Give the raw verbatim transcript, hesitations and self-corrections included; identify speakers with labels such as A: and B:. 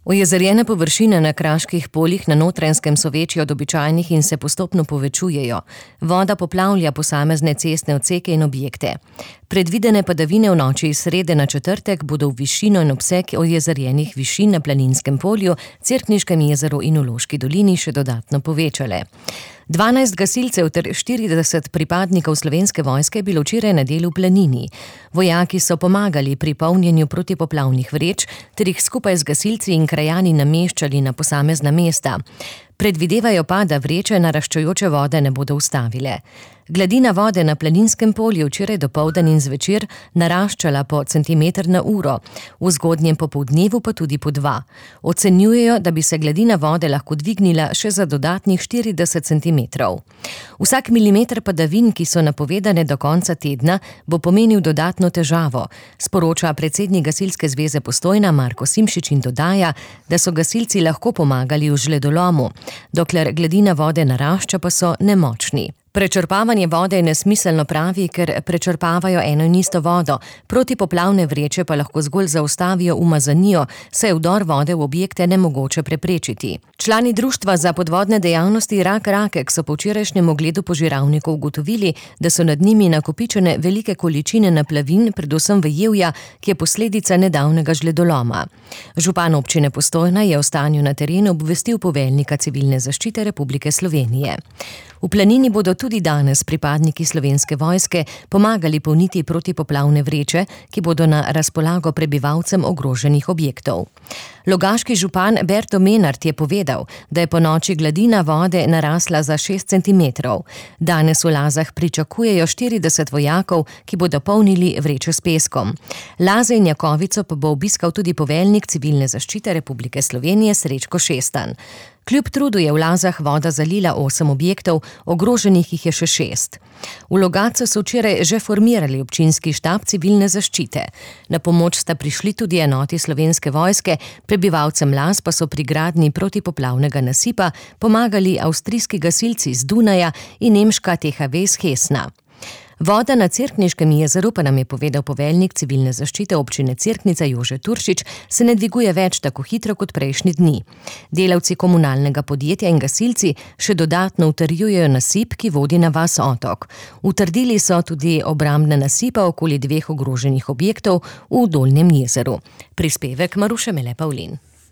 A: Ojezerjene površine na kraških poljih na Notranjskem so večje od običajnih in se postopno povečujejo. Voda poplavlja posamezne cestne odseke in objekte. Predvidene padavine v noči iz srede na četrtek bodo v višino in obseg ojezerjenih višin na Planinskem polju, Cerkniškem jezeru in v Loški dolini še dodatno povečale. dvanajst gasilcev ter štirideset pripadnikov Slovenske vojske je bilo včeraj na delu v Planini. Vojaki so pomagali pri polnjenju protipoplavnih vreč ter jih skupaj z gasilci in krajani nameščali na posamezna mesta. Predvidevajo pa, da vreče naraščajoče vode ne bodo ustavile. Gladina vode na Planinskem polju včeraj dopoldan in zvečer naraščala po centimeter na uro, v zgodnjem popoldnevu pa tudi po dva. Ocenjujejo, da bi se gladina vode lahko dvignila še za dodatnih štirideset centimetrov. Vsak milimeter padavin, ki so napovedane do konca tedna, bo pomenil dodatno težavo, sporoča predsednik Gasilske zveze Postojna Marko Simšič in dodaja, da so gasilci lahko pomagali v žledolomu. Dokler gladina vode narašča, pa so nemočni. Prečrpavanje vode je nesmiselno, pravi, ker prečrpavajo eno in isto vodo, protipoplavne vreče pa lahko zgolj zaustavijo umazanijo, saj je vdor vode v objekte nemogoče preprečiti. Člani Društva za podvodne dejavnosti Rak Rakek so po včerajšnjem ogledu požiralnikov ugotovili, da so nad njimi nakopičene velike količine naplavin, predvsem vejevja, ki je posledica nedavnega žledoloma. Župan občine Postojna je o stanju na terenu obvestil poveljnika Civilne zaščite Republike Slovenije. V Planini bodo tudi danes pripadniki Slovenske vojske pomagali polniti protipoplavne vreče, ki bodo na razpolago prebivalcem ogroženih objektov. Logaški župan Berto Menart je povedal, da je po noči gladina vode narasla za šest centimetrov. Danes v Lazah pričakujejo štirideset vojakov, ki bodo polnili vreče s peskom. Laze in Jakovico pa bo obiskal tudi poveljnik Civilne zaščite Republike Slovenije Srečko Šestan. Kljub trudu je v Lazah voda zalila osem objektov, ogroženih jih je še šest. V Logatcu so včeraj že formirali občinski štab Civilne zaščite. Na pomoč sta prišli tudi enoti Slovenske vojske, prebivalcem Laz pa so pri gradnji protipoplavnega nasipa pomagali avstrijski gasilci iz Dunaja in nemška T H V iz Hesna. Voda na Cerkniškem jezeru, pa nam je povedal poveljnik Civilne zaščite občine Cerknica Jože Turšič, se ne dviguje več tako hitro kot prejšnji dni. Delavci komunalnega podjetja in gasilci še dodatno utrjujejo nasip, ki vodi na vas Otok. Utrdili so tudi obrambne nasipa okoli dveh ogroženih objektov v Dolnjem jezeru. Prispevek Maruše Mele Pavlin.